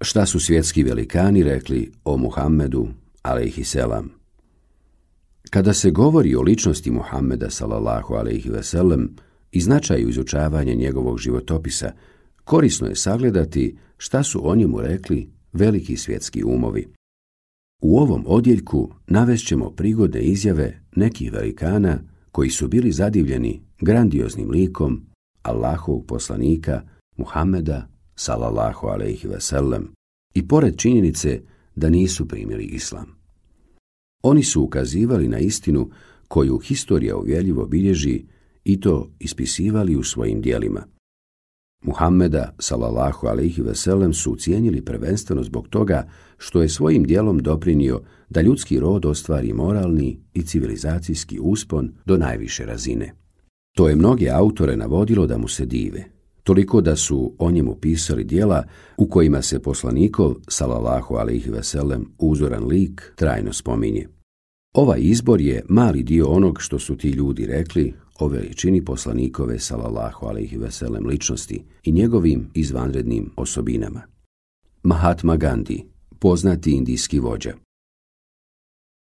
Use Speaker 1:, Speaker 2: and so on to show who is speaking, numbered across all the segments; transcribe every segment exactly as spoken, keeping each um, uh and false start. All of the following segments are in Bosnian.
Speaker 1: Šta su svjetski velikani rekli o Muhammedu, alejhiselam? Kada se govori o ličnosti Muhammeda, sallallahu alejhi ve sellem, i značaju izučavanja njegovog životopisa, korisno je sagledati šta su o njemu rekli veliki svjetski umovi. U ovom odjeljku navešćemo prigodne izjave nekih velikana koji su bili zadivljeni grandioznim likom Allahovog poslanika Muhammeda, sallallahu alejhi ve sellem, i pored činjenice da nisu primili islam. Oni su ukazivali na istinu koju historija uvjerljivo bilježi i to ispisivali u svojim dijelima. Muhammeda, sallallahu alejhi ve sellem, su cijenili prvenstveno zbog toga što je svojim dijelom doprinio da ljudski rod ostvari moralni i civilizacijski uspon do najviše razine. To je mnoge autore navodilo da mu se dive, toliko da su o njemu pisali dijela u kojima se poslanikov, sallallahu alejhi ve sellem, uzoran lik trajno spominje. Ovaj izbor je mali dio onog što su ti ljudi rekli o veličini poslanikove, sallallahu alejhi ve sellem, ličnosti i njegovim izvanrednim osobinama. Mahatma Gandhi, poznati indijski vođa.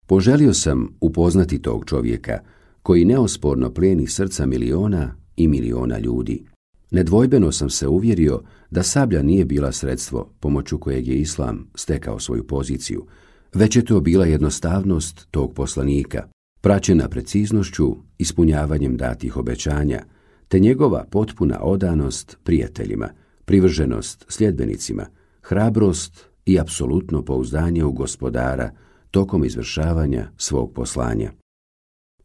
Speaker 1: Poželio sam upoznati tog čovjeka koji neosporno plijeni srca miliona i miliona ljudi. Nedvojbeno sam se uvjerio da sablja nije bila sredstvo pomoću kojeg je islam stekao svoju poziciju, već je to bila jednostavnost tog poslanika, praćena preciznošću, ispunjavanjem datih obećanja, te njegova potpuna odanost prijateljima, privrženost sljedbenicima, hrabrost i apsolutno pouzdanje u Gospodara tokom izvršavanja svog poslanja.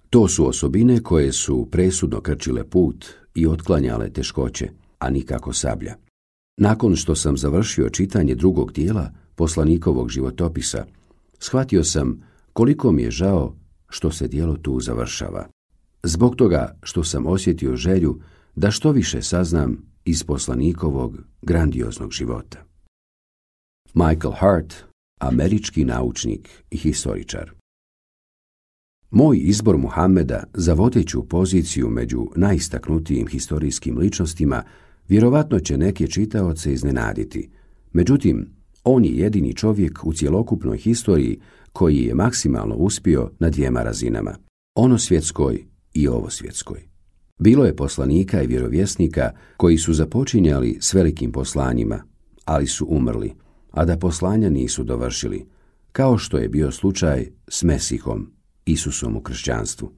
Speaker 1: To su osobine koje su presudno krčile put i otklanjale teškoće, a nikako sablja. Nakon što sam završio čitanje drugog dijela poslanikovog životopisa, shvatio sam koliko mi je žao što se dijelo tu završava. Zbog toga što sam osjetio želju da što više saznam iz poslanikovog grandioznog života. Michael Hart, američki naučnik i historičar. Moj izbor Muhammeda za vodeću poziciju među najistaknutijim historijskim ličnostima vjerovatno će neke čitaoce iznenaditi. Međutim, on je jedini čovjek u cjelokupnoj historiji koji je maksimalno uspio na dvijema razinama, onosvjetskoj i ovosvjetskoj. Bilo je poslanika i vjerovjesnika koji su započinjali s velikim poslanjima, ali su umrli, a da poslanja nisu dovršili, kao što je bio slučaj s Mesihom, Isusom u kršćanstvu.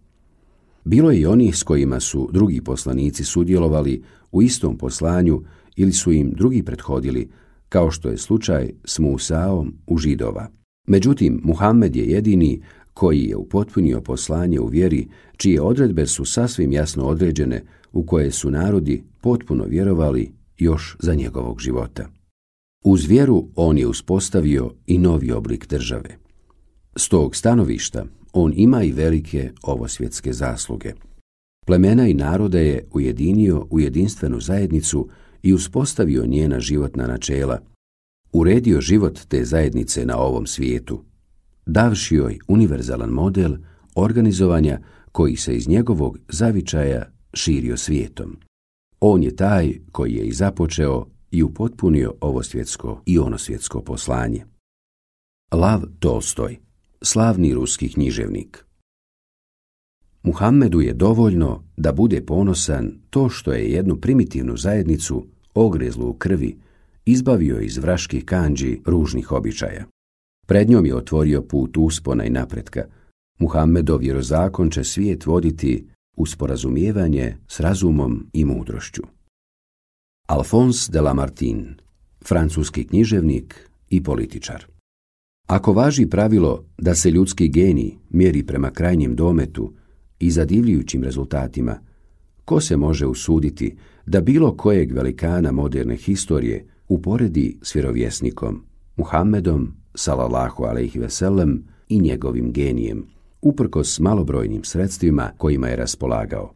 Speaker 1: Bilo je i onih s kojima su drugi poslanici sudjelovali u istom poslanju ili su im drugi prethodili, kao što je slučaj s Musaom u Židova. Međutim, Muhammed je jedini koji je upotpunio poslanje u vjeri, čije odredbe su sasvim jasno određene, u koje su narodi potpuno vjerovali još za njegovog života. Uz vjeru on je uspostavio i novi oblik države. S tog stanovišta on ima i velike ovosvjetske zasluge. Plemena i narode je ujedinio u jedinstvenu zajednicu i uspostavio njena životna načela, uredio život te zajednice na ovom svijetu, davši joj univerzalan model organizovanja koji se iz njegovog zavičaja širio svijetom. On je taj koji je i započeo i upotpunio ovosvjetsko i onosvjetsko poslanje. Lav Tolstoj, slavni ruski književnik. Muhammedu je dovoljno da bude ponosan to što je jednu primitivnu zajednicu, ogrezlu u krvi, izbavio iz vraških kandži ružnih običaja. Pred njom je otvorio put uspona i napretka. Muhammedov vjerozakon će svijet voditi u sporazumijevanje s razumom i mudrošću. Alphonse de Lamartine, francuski književnik i političar. Ako važi pravilo da se ljudski genij mjeri prema krajnjem dometu i zadivljujućim rezultatima, ko se može usuditi da bilo kojeg velikana moderne historije uporedi s vjerovjesnikom, Muhammedom, sallallahu alejhi ve sellem, i njegovim genijem, uprkos malobrojnim sredstvima kojima je raspolagao.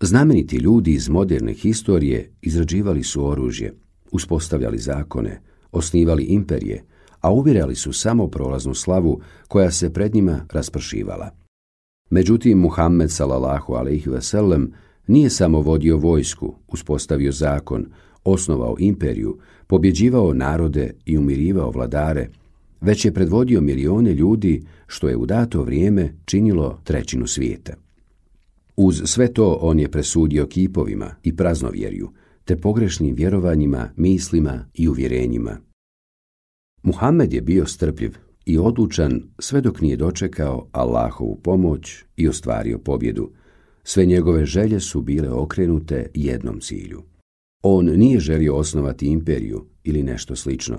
Speaker 1: Znameniti ljudi iz moderne historije izrađivali su oružje, uspostavljali zakone, osnivali imperije, a ubirali su samo prolaznu slavu koja se pred njima raspršivala. Međutim, Muhammed, sallallahu alejhi ve sellem, nije samo vodio vojsku, uspostavio zakon, osnovao imperiju, pobjeđivao narode i umirivao vladare, već je predvodio milione ljudi, što je u dato vrijeme činilo trećinu svijeta. Uz sve to on je presudio kipovima i praznovjerju, te pogrešnim vjerovanjima, mislima i uvjerenjima. Muhammed je bio strpljiv i odlučan sve dok nije dočekao Allahovu pomoć i ostvario pobjedu. Sve njegove želje su bile okrenute jednom cilju. On nije želio osnovati imperiju ili nešto slično,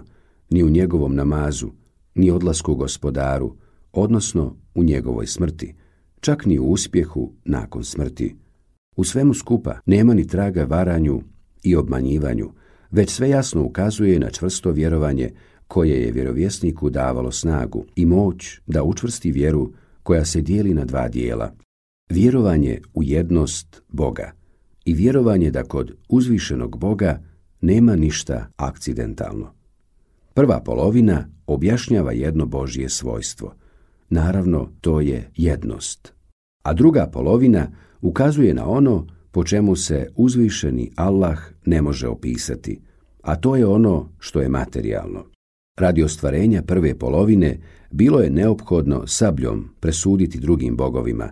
Speaker 1: ni u njegovom namazu, ni odlasku gospodaru, odnosno u njegovoj smrti, čak ni u uspjehu nakon smrti. U svemu skupa nema ni traga varanju i obmanjivanju, već sve jasno ukazuje na čvrsto vjerovanje koje je vjerovjesniku davalo snagu i moć da učvrsti vjeru koja se dijeli na dva dijela. Vjerovanje u jednost Boga i vjerovanje da kod uzvišenog Boga nema ništa akcidentalno. Prva polovina objašnjava jedno Božje svojstvo. Naravno, to je jednost. A druga polovina ukazuje na ono po čemu se uzvišeni Allah ne može opisati, a to je ono što je materijalno. Radi ostvarenja prve polovine bilo je neophodno sabljom presuditi drugim bogovima,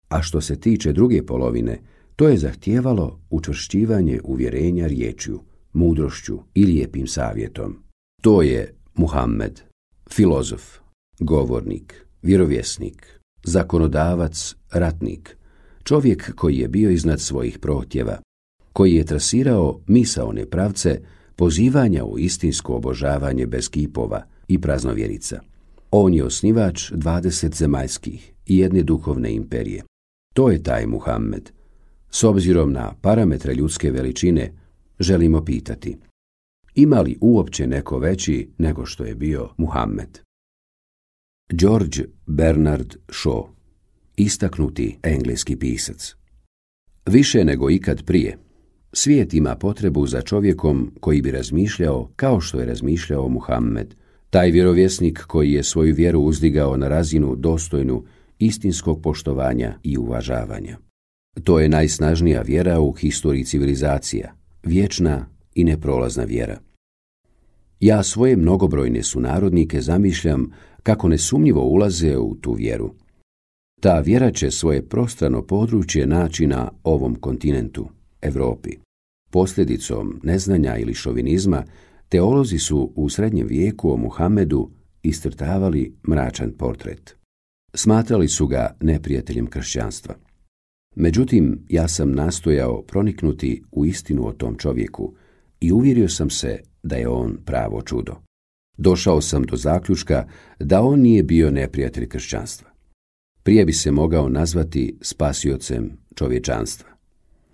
Speaker 1: a što se tiče druge polovine, to je zahtijevalo učvršćivanje uvjerenja riječju, mudrošću i lijepim savjetom. To je Muhammed, filozof, govornik, vjerovjesnik, zakonodavac, ratnik, čovjek koji je bio iznad svojih prohtjeva, koji je trasirao misaone pravce pozivanja u istinsko obožavanje bez kipova i praznovjerica. On je osnivač dvadeset zemaljskih i jedne duhovne imperije. To je taj Muhammed. S obzirom na parametre ljudske veličine, želimo pitati, ima li uopće neko veći nego što je bio Muhammed? George Bernard Shaw, istaknuti engleski pisac. Više nego ikad prije, svijet ima potrebu za čovjekom koji bi razmišljao kao što je razmišljao Muhammed, taj vjerovjesnik koji je svoju vjeru uzdigao na razinu dostojnu istinskog poštovanja i uvažavanja. To je najsnažnija vjera u historiji civilizacija, vječna i neprolazna vjera. Ja svoje mnogobrojne sunarodnike zamišljam kako nesumnjivo ulaze u tu vjeru. Ta vjera će svoje prostrano područje naći na ovom kontinentu, Europi. Posljedicom neznanja ili šovinizma, teolozi su u srednjem vijeku o Muhammedu iscrtavali mračan portret. Smatrali su ga neprijateljem kršćanstva. Međutim, ja sam nastojao proniknuti u istinu o tom čovjeku i uvjerio sam se da je on pravo čudo. Došao sam do zaključka da on nije bio neprijatelj kršćanstva. Prije bi se mogao nazvati spasiocem čovječanstva.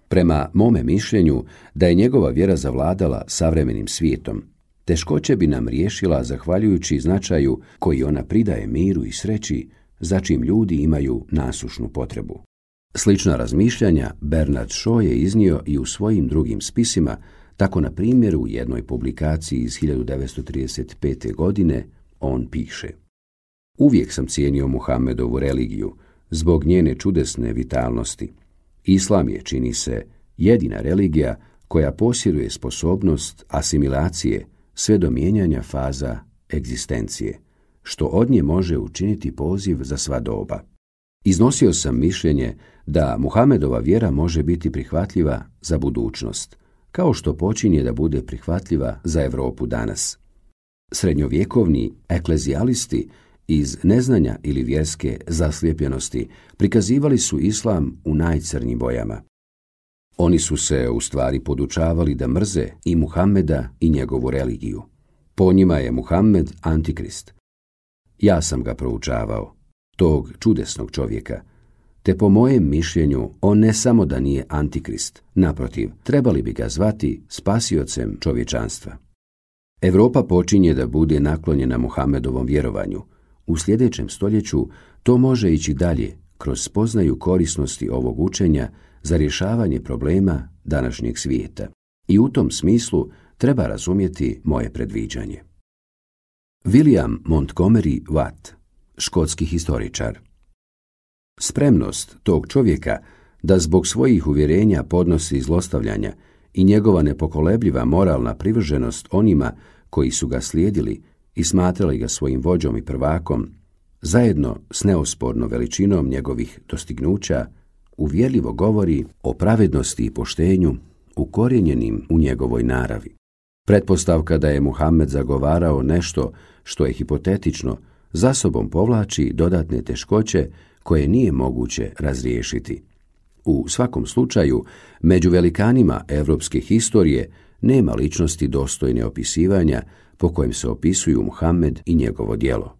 Speaker 1: Prema mome mišljenju da je njegova vjera zavladala savremenim svijetom, teškoće bi nam riješila zahvaljujući značaju koji ona pridaje miru i sreći, za čim ljudi imaju nasušnu potrebu. Slična razmišljanja Bernard Shaw je iznio i u svojim drugim spisima, tako na primjer u jednoj publikaciji iz hiljadu devetsto trideset pete. godine on piše: Uvijek sam cijenio Muhammedovu religiju zbog njene čudesne vitalnosti. Islam je, čini se, jedina religija koja posjeduje sposobnost asimilacije sve do mijenjanja faza egzistencije, što od nje može učiniti poziv za sva doba. Iznosio sam mišljenje da Muhammedova vjera može biti prihvatljiva za budućnost, kao što počinje da bude prihvatljiva za Europu danas. Srednjovjekovni eklezijalisti iz neznanja ili vjerske zaslijepljenosti prikazivali su islam u najcrnjim bojama. Oni su se u stvari podučavali da mrze i Muhammeda i njegovu religiju. Po njima je Muhammed antikrist. Ja sam ga proučavao, tog čudesnog čovjeka, te po mojem mišljenju on ne samo da nije antikrist, naprotiv, trebali bi ga zvati spasiocem čovječanstva. Europa počinje da bude naklonjena Muhammedovom vjerovanju. U sljedećem stoljeću to može ići dalje kroz spoznaju korisnosti ovog učenja za rješavanje problema današnjeg svijeta. I u tom smislu treba razumjeti moje predviđanje. William Montgomery Watt, škotski historičar. Spremnost tog čovjeka da zbog svojih uvjerenja podnosi zlostavljanja i njegova nepokolebljiva moralna privrženost onima koji su ga slijedili i smatrali ga svojim vođom i prvakom, zajedno s neosporno veličinom njegovih dostignuća, uvjerljivo govori o pravednosti i poštenju ukorijenjenim u njegovoj naravi. Pretpostavka da je Muhammed zagovarao nešto što je hipotetično, za sobom povlači dodatne teškoće koje nije moguće razriješiti. U svakom slučaju, među velikanima evropske historije nema ličnosti dostojne opisivanja po kojem se opisuju Muhammed i njegovo djelo.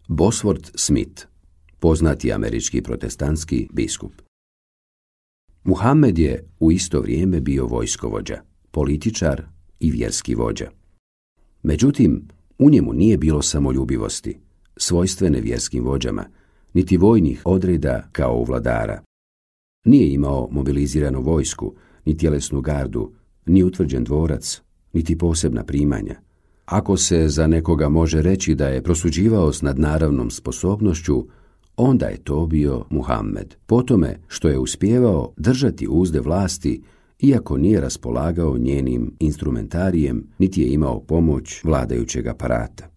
Speaker 1: Bosworth Smith, poznati američki protestantski biskup. Muhammed je u isto vrijeme bio vojskovođa, političar i vjerski vođa. Međutim, u njemu nije bilo samoljubivosti, svojstvene vjerskim vođama, niti vojnih odreda kao u vladara. Nije imao mobiliziranu vojsku, ni tjelesnu gardu, ni utvrđen dvorac, niti posebna primanja. Ako se za nekoga može reći da je prosuđivao s nadnaravnom sposobnošću, onda je to bio Muhammed, po tome što je uspijevao držati uzde vlasti, iako nije raspolagao njenim instrumentarijem, niti je imao pomoć vladajućeg aparata.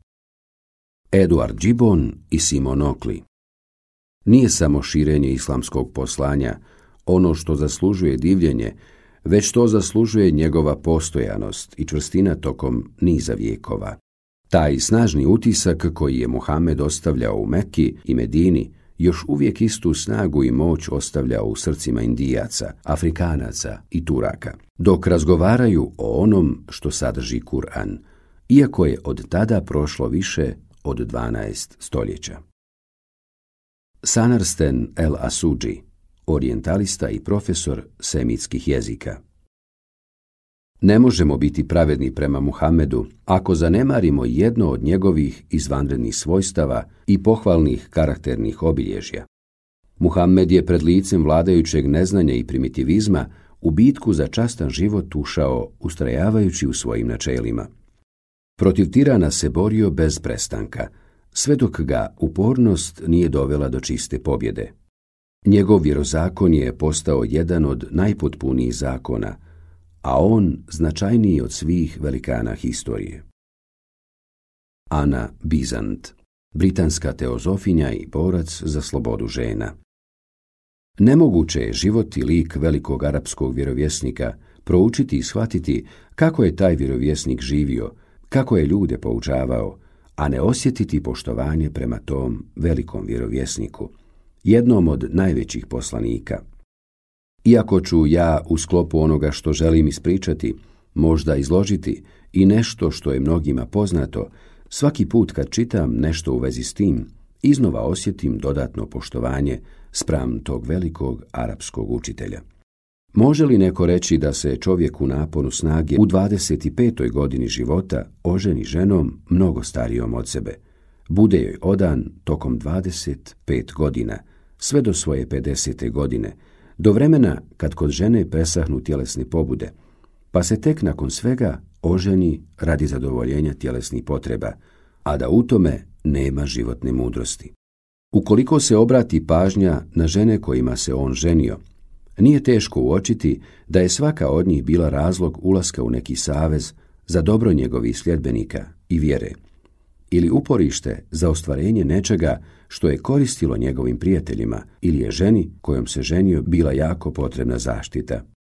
Speaker 1: Edward Gibbon i Simon Oakley. Nije samo širenje islamskog poslanja ono što zaslužuje divljenje, već to zaslužuje njegova postojanost i čvrstina tokom niza vijekova. Taj snažni utisak koji je Muhammed ostavljao u Mekki i Medini još uvijek istu snagu i moć ostavljao u srcima Indijaca, Afrikanaca i Turaka, dok razgovaraju o onom što sadrži Kur'an, iako je od tada prošlo više od dvanaest stoljeća. Sanarsten El Asuđi, orijentalista i profesor semitskih jezika. Ne možemo biti pravedni prema Muhammedu ako zanemarimo jedno od njegovih izvanrednih svojstava i pohvalnih karakternih obilježja. Muhammed je pred licem vladajućeg neznanja i primitivizma u bitku za častan život ušao ustrajavajući u svojim načelima. Protiv tirana se borio bez prestanka, sve dok ga upornost nije dovela do čiste pobjede. Njegov vjerozakon je postao jedan od najpotpunijih zakona, a on značajniji od svih velikana historije. Ana Bizant, britanska teozofinja i borac za slobodu žena. Nemoguće je život i lik velikog arapskog vjerovjesnika proučiti i shvatiti kako je taj vjerovjesnik živio, kako je ljude poučavao, a ne osjetiti poštovanje prema tom velikom vjerovjesniku, jednom od najvećih poslanika. Iako ću ja u sklopu onoga što želim ispričati, možda izložiti i nešto što je mnogima poznato, svaki put kad čitam nešto u vezi s tim, iznova osjetim dodatno poštovanje spram tog velikog arapskog učitelja. Može li neko reći da se čovjek u naponu snage u dvadeset petoj godini života oženi ženom mnogo starijom od sebe, bude joj odan tokom dvadeset pet godina, sve do svoje pedesete godine, do vremena kad kod žene presahnu tjelesne pobude, pa se tek nakon svega oženi radi zadovoljenja tjelesnih potreba, a da u tome nema životne mudrosti. Ukoliko se obrati pažnja na žene kojima se on ženio, nije teško uočiti da je svaka od njih bila razlog ulaska u neki savez za dobro njegovih sljedbenika i vjere, ili uporište za ostvarenje nečega što je koristilo njegovim prijateljima ili je ženi kojom se ženio bila jako potrebna zaštita.